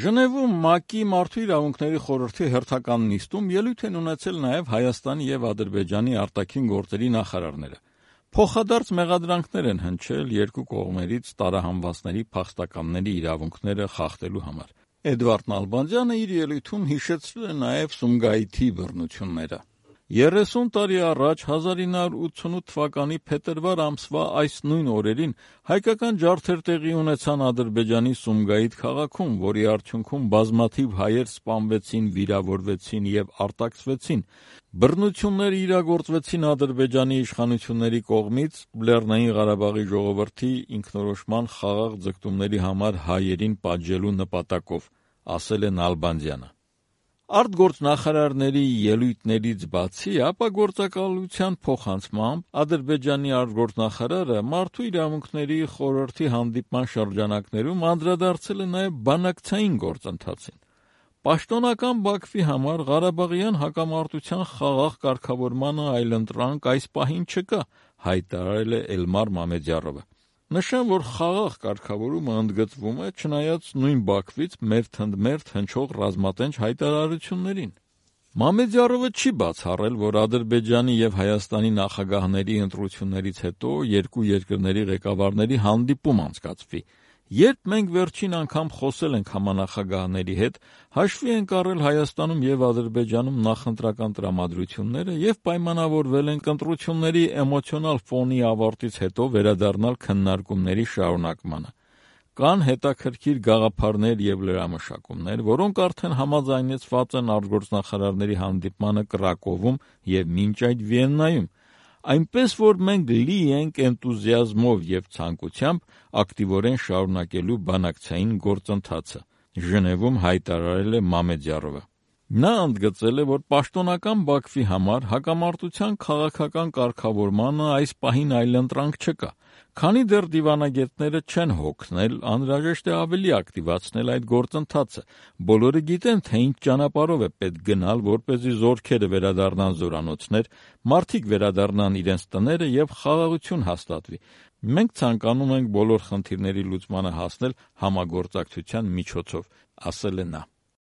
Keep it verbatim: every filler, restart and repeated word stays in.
Ժնևում ՄԱԿ-ի Մարդու իրավունքների խորհրդի հերթական նիստում ելույթ են ունեցել նաև Հայաստանի և Ադրբեջանի արտաքին գործերի նախարարները։ Փոխադարձ մեղադրանքներ են հնչել երկու կողմերից տարահանվածների փախստականների իրավունքները խախտելու համար։ Էդվարդ Նալբանդյանը իր ելույթում հիշեցրել է նաև Սումգայիթի բռնությունները։ երեսուն տարի առաջ հազար ինը հարյուր ութսունութ թվականի փետրվար ամսվա այս նույն օրերին հայկական ջարդեր տեղի ունեցան Ադրբեջանի Սումգայիթ քաղաքում, որի արդյունքում բազմաթիվ հայեր սպանվեցին, վիրավորվեցին և արտաքսվեցին։ Բռնությունները իրագործվեցին Ադրբեջանի իշխանությունների կողմից Լեռնային Ղարաբաղի ժողովրդի ինքնորոշման խաղաղ ձգտումների համար հայերին պատժելու նպատակով, ասել է Նալբանդյանը։ Արտգործնախարարների ելույթներից բացի ապագործակալության փոխանցմամբ Ադրբեջանի արտգործնախարարը Մարդու իրավունքների խորհրդի հանդիպման շրջանակներում անդրադարձել է նաև բանակցային գործընթացին։ Պաշտոնական Բաքվի համար Ղարաբաղյան հակամարտության խաղաղ կարգավորմանը այլընտրանք այս պահին չկա, հայտարարել է Էլմար Մամեդյարովը։ Նշեմ, որ խաղաղ կարգավորումը ընդգծվում է չնայած նույն Բաքվից մերթընդմերթ հնչող ռազմատենչ հայտարարություններին։ Մամեդյարովը չի բացառել, որ Ադրբեջանի և Հայաստանի նախագահների ընտրություններից հետո երկու երկրների ղեկավարների հանդիպում անցկացվի։ Երբ մենք վերջին անգամ խոսել ենք համանախագահների հետ, հաշվի ենք առել Հայաստանում և Ադրբեջանում նախընտրական տրամադրությունները և պայմանավորվել ենք ընտրությունների էմոցիոնալ ֆոնի ավարտից հետո վերադառնալ քննարկումների շարունակմանը։ Կան հետաքրքիր գաղափարներ և լրամշակումներ, որոնք արդեն համաձայնեցված են արտգործնախարարների հանդիպմանը Կրակովում և մինչ այդ Վիեննայում, այնպես որ մենք լի ենք էնտուզիազմով և ցանկությամբ ակտիվորեն շարունակելու բանակցային գործընթացը, Ժնևում հայտարարել է Մամեդյարովը։ Նա ընդգծել է, որ պաշտոնական Բաքվի համար հակամարտության քաղաքական կարգավորմանը այս պահին այլընտրանք չկա։ Քանի դեռ դիվանագետները չեն հոգնել, անհրաժեշտ է ավելի ակտիվացնել այդ գործընթացը։ Բոլորը գիտեն, թե ինչ ճանապարհով է պետք գնալ, որպեսզի զորքերը վերադառնան զորանոցներ, մարդիկ վերադառնան իրենց տները և խաղաղություն հաստատվի։ Մենք ցանկանում ենք բոլոր խնդիրների լուծմանը հասնել համագործակցության միջոցով, ասել է նա։